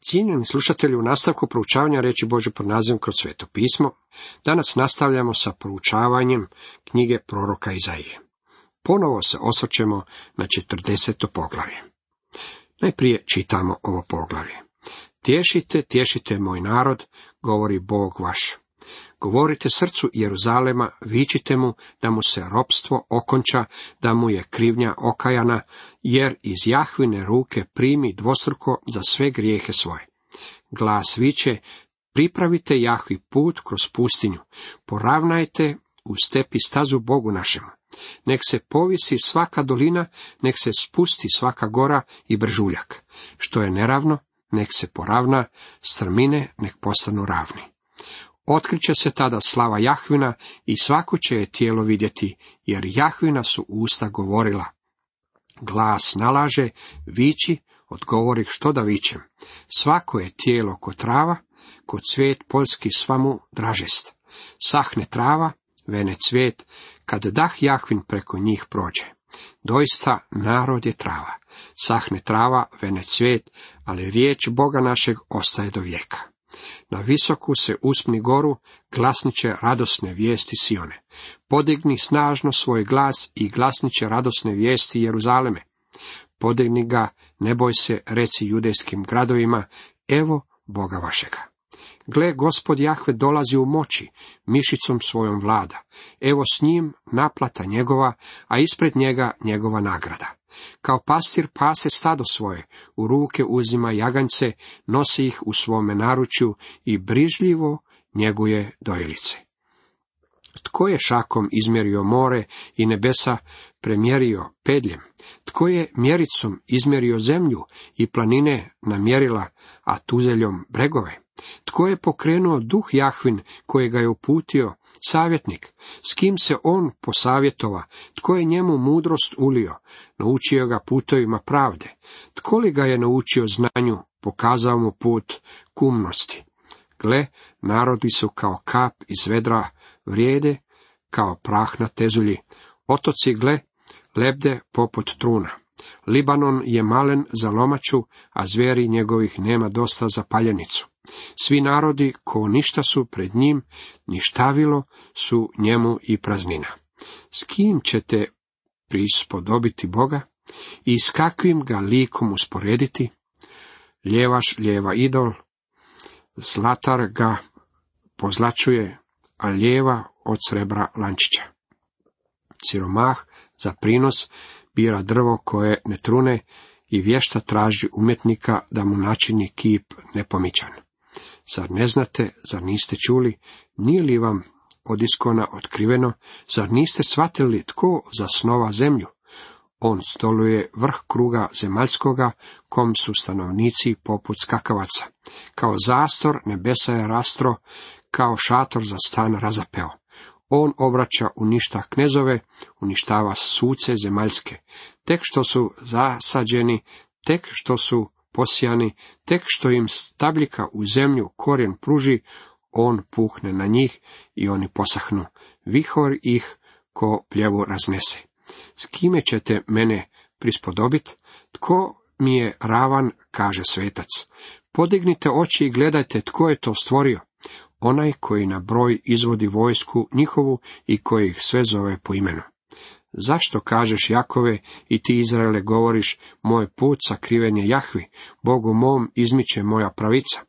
Cijenjeni slušatelji, u nastavku proučavanja riječi Božje pod nazivom Kroz sveto pismo, danas nastavljamo sa proučavanjem knjige proroka Izaije. Ponovo se osvrćemo na 40. poglavlje. Najprije čitamo ovo poglavlje. Tješite, tješite moj narod, govori Bog vaš. Govorite srcu Jeruzalema, vičite mu da mu se ropstvo okonča, da mu je krivnja okajana, jer iz Jahvine ruke primi dvostruko za sve grijehe svoje. Glas viče, pripravite Jahvi put kroz pustinju, poravnajte u stepi stazu Bogu našemu. Nek se povisi svaka dolina, nek se spusti svaka gora i brežuljak. Što je neravno, nek se poravna, strmine nek postanu ravni. Otkriće se tada slava Jahvina i svako će je tijelo vidjeti, jer Jahvina su usta govorila. Glas nalaže, viči, odgovorih što da vičem. Svako je tijelo ko trava, ko cvijet poljski svamu dražest. Sahne trava, vene cvijet, kad dah Jahvin preko njih prođe. Doista narod je trava. Sahne trava, vene cvijet, ali riječ Boga našeg ostaje do vijeka. Na visoku se uspni goru, glasniće radosne vijesti Sione. Podigni snažno svoj glas i glasniće radosne vijesti Jeruzaleme. Podigni ga, ne boj se, reci judejskim gradovima, evo Boga vašega. Gle, Gospod Jahve dolazi u moći, mišicom svojom vlada. Evo s njim naplata njegova, a ispred njega njegova nagrada. Kao pastir pase stado svoje, u ruke uzima jaganjce, nosi ih u svome naručju i brižljivo njeguje dojilice. Tko je šakom izmjerio more i nebesa premjerio pedljem? Tko je mjericom izmjerio zemlju i planine namjerila, a tuzeljom bregove? Tko je pokrenuo duh Jahvin kojega je uputio savjetnik? S kim se on posavjetova? Tko je njemu mudrost ulio? Naučio ga putovima pravde. Tko li ga je naučio znanju? Pokazao mu put kumnosti. Gle, narodi su kao kap iz vedra, vrijede kao prah na tezulji. Otoci, gle, lebde poput truna. Libanon je malen za lomaču, a zvijeri njegovih nema dosta za paljenicu. Svi narodi ko ništa su pred njim, ništavilo su njemu i praznina. S kim ćete prispodobiti Boga i s kakvim ga likom usporediti? Ljevaš ljeva idol, zlatar ga pozlačuje, a ljeva od srebra lančića. Siromah za prinos bira drvo koje ne trune i vješta traži umjetnika da mu načini kip nepomičan. Zar ne znate, zar niste čuli, nije li vam od iskona otkriveno, zar niste shvatili tko zasnova zemlju? On stoluje vrh kruga zemaljskoga, kom su stanovnici poput skakavaca. Kao zastor nebesa je rastro, kao šator za stan razapeo. On obraća uništa knezove, uništava suce zemaljske. Tek što su zasađeni, tek što su posijani, tek što im stabljika u zemlju korijen pruži, on puhne na njih i oni posahnu. Vihor ih ko pljevu raznese. S kime ćete mene prispodobiti? Tko mi je ravan, kaže svetac. Podignite oči i gledajte tko je to stvorio. Onaj koji na broj izvodi vojsku njihovu i koji ih sve zove po imenu. Zašto kažeš Jakove i ti Izraele govoriš, moj put sakriven je Jahvi, Bogu mom izmiče moja pravica?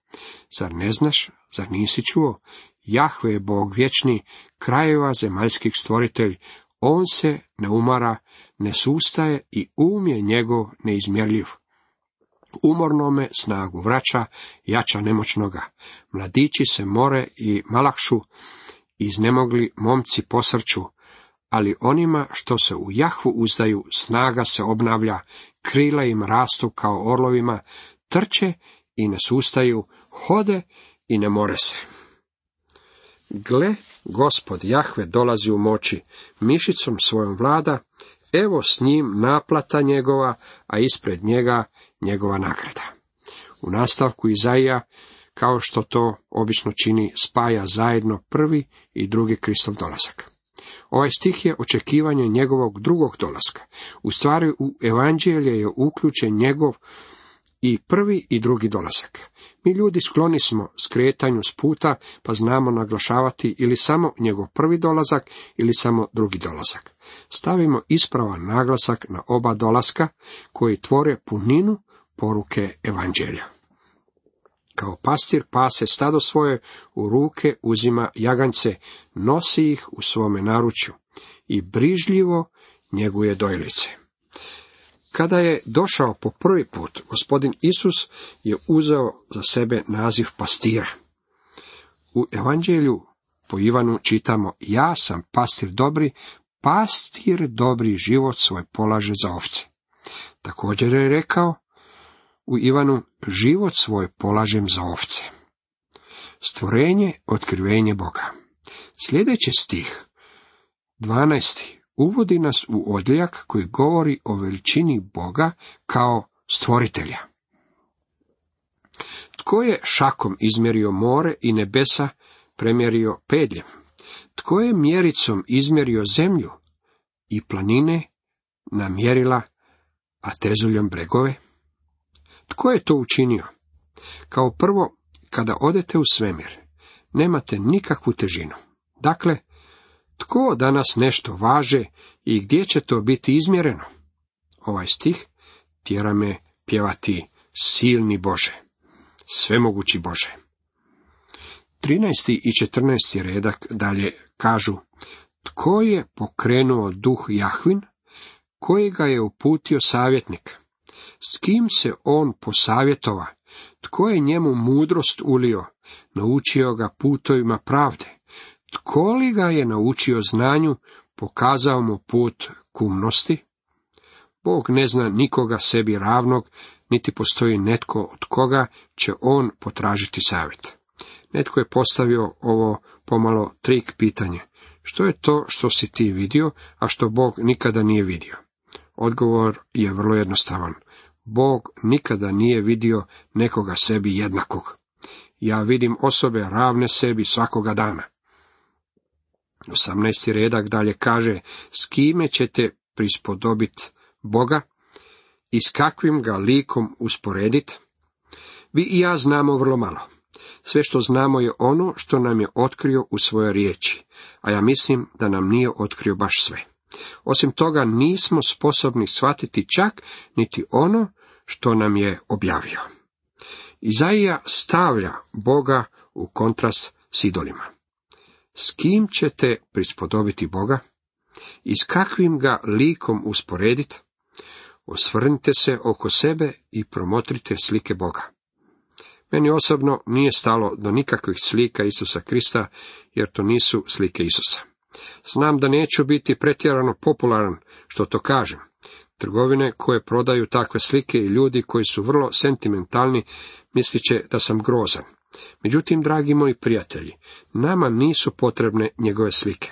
Zar ne znaš, zar nisi čuo? Jahve je Bog vječni, krajeva zemaljskih stvoritelj, on se ne umara, ne sustaje i je njegov neizmjerljiv. Umornome snagu vraća, jača nemoćnoga. Mladići se more i malakšu, iznemogli momci posrću, ali onima što se u Jahvu uzdaju, snaga se obnavlja, krila im rastu kao orlovima, trče i ne sustaju, hode i ne more se. Gle, Gospod Jahve dolazi u moći, mišicom svojom vlada, evo s njim naplata njegova, a ispred njega njegova nagrada. U nastavku Izaija, kao što to obično čini, spaja zajedno prvi i drugi Kristov dolazak. Ovaj stih je očekivanje njegovog drugog dolaska. U stvari u evanđelje je uključen njegov i prvi i drugi dolazak. Mi ljudi skloni smo skretanju s puta, pa znamo naglašavati ili samo njegov prvi dolazak ili samo drugi dolazak. Stavimo ispravan naglasak na oba dolaska koji tvore puninu poruke evanđelja. Kao pastir pase stado svoje, u ruke uzima jaganjce, nosi ih u svome naručju i brižljivo njeguje dojlice. Kada je došao po prvi put, gospodin Isus je uzeo za sebe naziv pastira. U evanđelju po Ivanu čitamo: ja sam pastir dobri život svoj polaže za ovce. Također je rekao u Ivanu: život svoj polažem za ovce. Stvorenje, otkrivenje Boga. Sljedeći stih, 12. uvodi nas u odjeljak koji govori o veličini Boga kao stvoritelja. Tko je šakom izmjerio more i nebesa premjerio pedljem? Tko je mjericom izmjerio zemlju i planine namjerila, a tezuljom bregove? Tko je to učinio? Kao prvo, kada odete u svemir, nemate nikakvu težinu. Dakle, tko danas nešto važe i gdje će to biti izmjereno? Ovaj stih tjera me pjevati: silni Bože, svemogući Bože. 13. i 14. redak dalje kažu: tko je pokrenuo duh Jahvin, koji ga je uputio savjetnik? S kim se on posavjetova? Tko je njemu mudrost ulio, naučio ga putovima pravde? Tko li ga je naučio znanju, pokazao mu put k umnosti? Bog ne zna nikoga sebi ravnog, niti postoji netko od koga će on potražiti savjet. Netko je postavio ovo pomalo trik pitanje: što je to što si ti vidio, a što Bog nikada nije vidio? Odgovor je vrlo jednostavan. Bog nikada nije vidio nekoga sebi jednakog. Ja vidim osobe ravne sebi svakoga dana. 18. redak dalje kaže: s kime ćete prispodobiti Boga i s kakvim ga likom usporediti? Vi i ja znamo vrlo malo. Sve što znamo je ono što nam je otkrio u svojoj riječi, a ja mislim da nam nije otkrio baš sve. Osim toga, nismo sposobni shvatiti čak niti ono što nam je objavio. Izaija stavlja Boga u kontrast s idolima. S kim ćete prispodobiti Boga i s kakvim ga likom usporediti? Osvrnite se oko sebe i promotrite slike Boga. Meni osobno nije stalo do nikakvih slika Isusa Krista, jer to nisu slike Isusa. Znam da neću biti pretjerano popularan što to kažem. Trgovine koje prodaju takve slike i ljudi koji su vrlo sentimentalni mislit će da sam grozan. Međutim, dragi moji prijatelji, nama nisu potrebne njegove slike.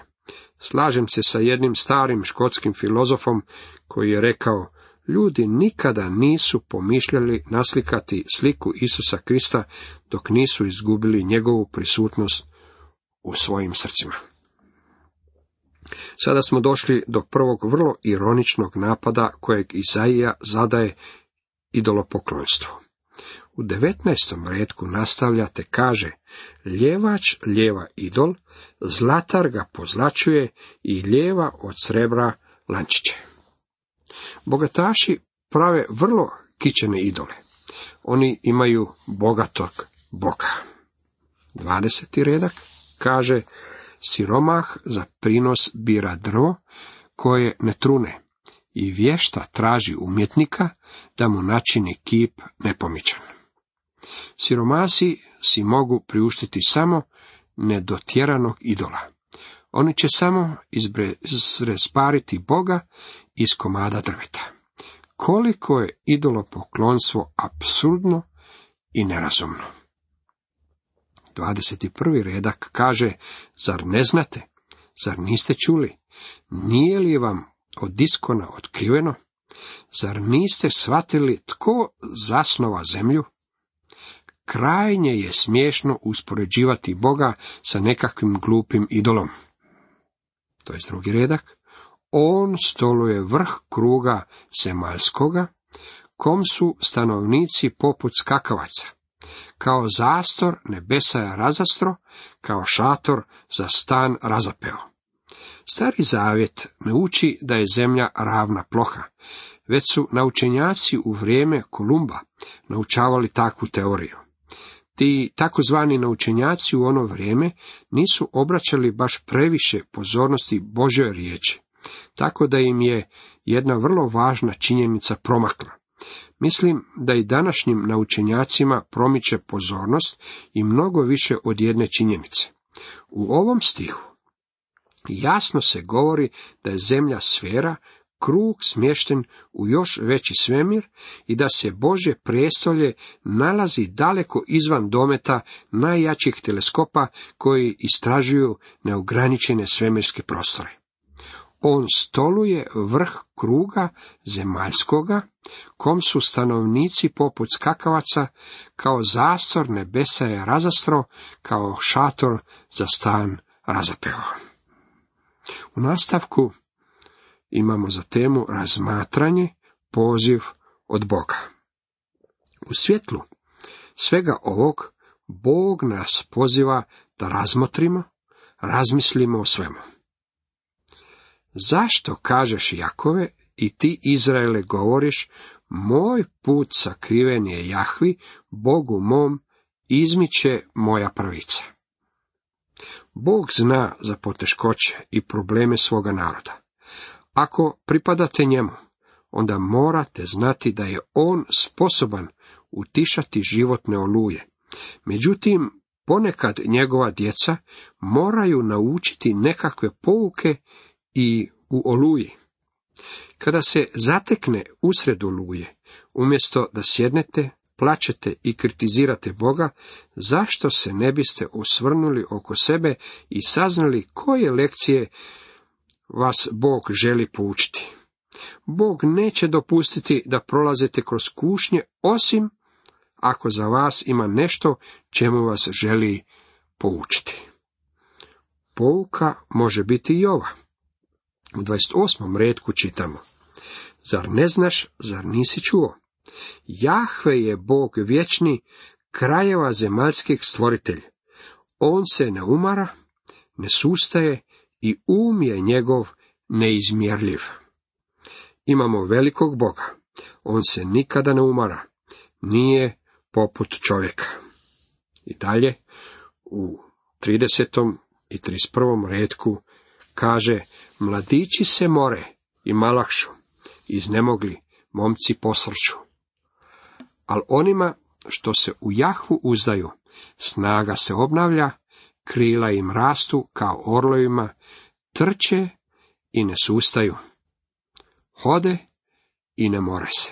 Slažem se sa jednim starim škotskim filozofom koji je rekao: ljudi nikada nisu pomišljali naslikati sliku Isusa Krista dok nisu izgubili njegovu prisutnost u svojim srcima. Sada smo došli do prvog vrlo ironičnog napada kojeg Izaija zadaje idolopoklonstvu. U 19. retku nastavljate, kaže: ljevač ljeva idol, zlatar ga pozlačuje i ljeva od srebra lančiće. Bogataši prave vrlo kičene idole. Oni imaju bogatog Boga. 20. redak kaže: siromah za prinos bira drvo koje ne trune i vješta traži umjetnika da mu načini kip nepomičan. Siromasi si mogu priuštiti samo nedotjeranog idola. Oni će samo izrespariti Boga iz komada drveta. Koliko je idolopoklonstvo apsurdno i nerazumno. 21. redak kaže: zar ne znate? Zar niste čuli? Nije li vam od iskona otkriveno? Zar niste shvatili tko zasnova zemlju? Krajnje je smiješno uspoređivati Boga sa nekakvim glupim idolom. 22. redak: on stoluje vrh kruga zemaljskoga, kom su stanovnici poput skakavaca, kao zastor nebesa je razastro, kao šator za stan razapeo. Stari zavjet ne uči da je zemlja ravna ploha, već su naučenjaci u vrijeme Kolumba naučavali takvu teoriju. Ti takozvani naučenjaci u ono vrijeme nisu obraćali baš previše pozornosti Božjoj riječi, tako da im je jedna vrlo važna činjenica promakla. Mislim da i današnjim naučenjacima promiče pozornost i mnogo više od jedne činjenice. U ovom stihu jasno se govori da je zemlja sfera, krug smješten u još veći svemir i da se Božje prijestolje nalazi daleko izvan dometa najjačih teleskopa koji istražuju neograničene svemirske prostore. On stoluje vrh kruga zemaljskoga, kom su stanovnici poput skakavaca, kao zastor nebesa je razastro, kao šator za stan razapeo. U nastavku imamo za temu razmatranje, poziv od Boga. U svjetlu svega ovog Bog nas poziva da razmotrimo, razmislimo o svemu. Zašto, kažeš Jakove, i ti Izraele govoriš, moj put sakriven je Jahvi, Bogu mom, izmiče moja pravica. Bog zna za poteškoće i probleme svoga naroda. Ako pripadate njemu, onda morate znati da je on sposoban utišati životne oluje. Međutim, ponekad njegova djeca moraju naučiti nekakve pouke i u oluji. Kada se zatekne usred oluje, umjesto da sjednete, plačete i kritizirate Boga, zašto se ne biste osvrnuli oko sebe i saznali koje lekcije vas Bog želi poučiti? Bog neće dopustiti da prolazite kroz kušnje, osim ako za vas ima nešto čemu vas želi poučiti. Pouka može biti i ova. U 28. retku čitamo: Zar ne znaš, zar nisi čuo? Jahve je Bog vječni, krajeva zemaljskih stvoritelj. On se ne umara, ne sustaje i je njegov neizmjerljiv. Imamo velikog Boga. On se nikada ne umara. Nije poput čovjeka. I dalje u 30. i 31. retku kaže: Mladići se more i malahšu, iznemogli, momci posrću. Al onima što se u Jahvu uzdaju, snaga se obnavlja, krila im rastu kao orlovima, trče i ne sustaju, hode i ne more se.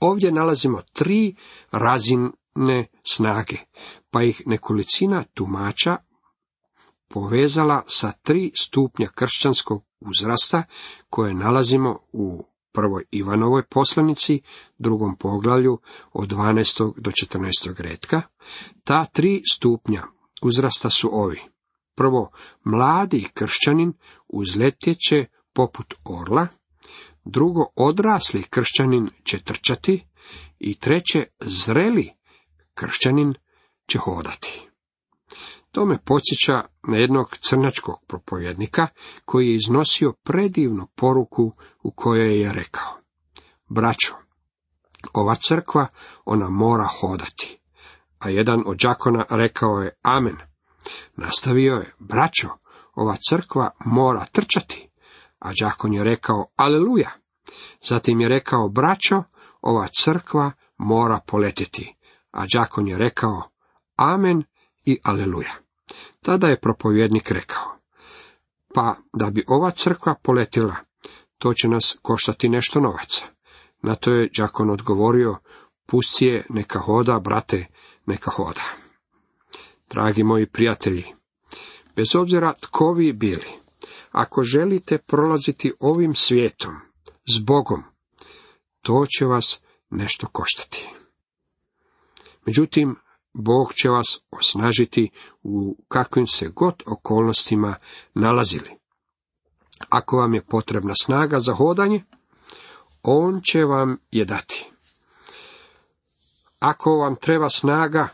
Ovdje nalazimo 3 razine snage, pa ih nekolicina tumača povezala sa 3 stupnja kršćanskog uzrasta koje nalazimo u 1. Ivanovoj poslanici, 2. poglavlju od 12. do 14. retka. Ta 3 stupnja uzrasta su ovi. Prvo, mladi kršćanin uzletjeće poput orla. Drugo, odrasli kršćanin će trčati. I treće, zreli kršćanin će hodati. To me podsjeća na jednog crnačkog propovjednika koji je iznosio predivnu poruku u kojoj je rekao: Braćo, ova crkva, ona mora hodati. A jedan od đakona rekao je: Amen. Nastavio je: Braćo, ova crkva mora trčati. A đakon je rekao: Aleluja. Zatim je rekao: Braćo, ova crkva mora poletjeti. A đakon je rekao: Amen i aleluja. Tada je propovjednik rekao: Pa da bi ova crkva poletila, to će nas koštati nešto novaca. Na to je đakon odgovorio: Pusti je, neka hoda, brate, neka hoda. Dragi moji prijatelji, bez obzira tko vi bili, ako želite prolaziti ovim svijetom s Bogom, to će vas nešto koštati. Međutim, Bog će vas osnažiti u kakvim se god okolnostima nalazili. Ako vam je potrebna snaga za hodanje, on će vam je dati. Ako vam treba snaga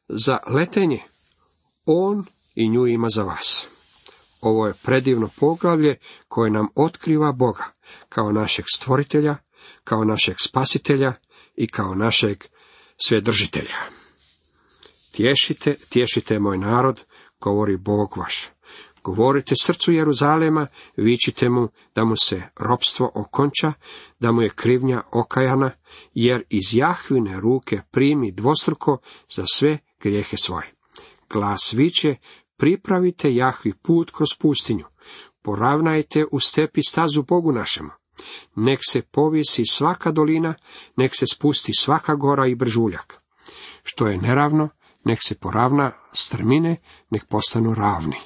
za letenje, on i nju ima za vas. Ovo je predivno poglavlje koje nam otkriva Boga kao našeg stvoritelja, kao našeg spasitelja i kao našeg svedržitelja. Tješite moj narod, govori Bog vaš. Govorite srcu Jeruzalema, vičite mu da mu se ropstvo okonča, da mu je krivnja okajana, jer iz Jahvine ruke primi dvostruko za sve grijehe svoje. Glas viče, pripravite Jahvi put kroz pustinju, poravnajte u stepi stazu Bogu našemu. Nek se povisi svaka dolina, nek se spusti svaka gora i brežuljak. Što je neravno, nek se poravna, strmine nek postanu ravni.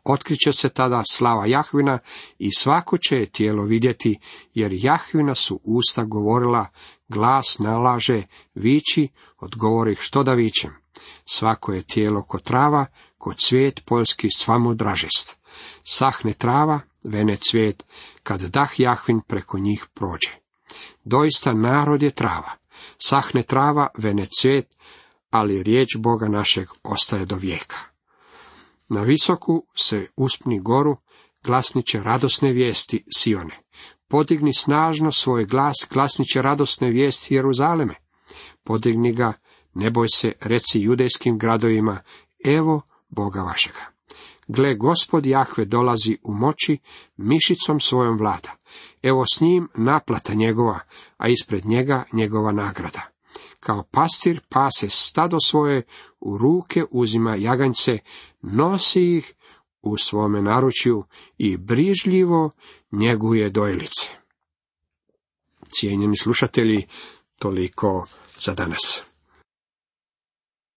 Otkriće se tada slava Jahvina i svako će je tijelo vidjeti, jer Jahvina su usta govorila, glas nalaže, viči, odgovori što da vičem. Svako je tijelo ko trava, ko cvijet poljski svamo dražest. Sahne trava, vene cvijet, kad dah Jahvin preko njih prođe. Doista narod je trava, sahne trava, vene cvijet, ali riječ Boga našeg ostaje do vijeka. Na visoku se uspni goru, glasniće radosne vijesti Sione. Podigni snažno svoj glas, glasniće radosne vijesti Jeruzaleme. Podigni ga, ne boj se, reci judejskim gradovima, evo Boga vašega. Gle, Gospod Jahve dolazi u moći, mišicom svojom vlada. Evo s njim naplata njegova, a ispred njega njegova nagrada. Kao pastir pase stado svoje, u ruke uzima jaganjce, nosi ih u svome naručju i brižljivo njeguje dojlice. Cijenjeni slušatelji, toliko za danas.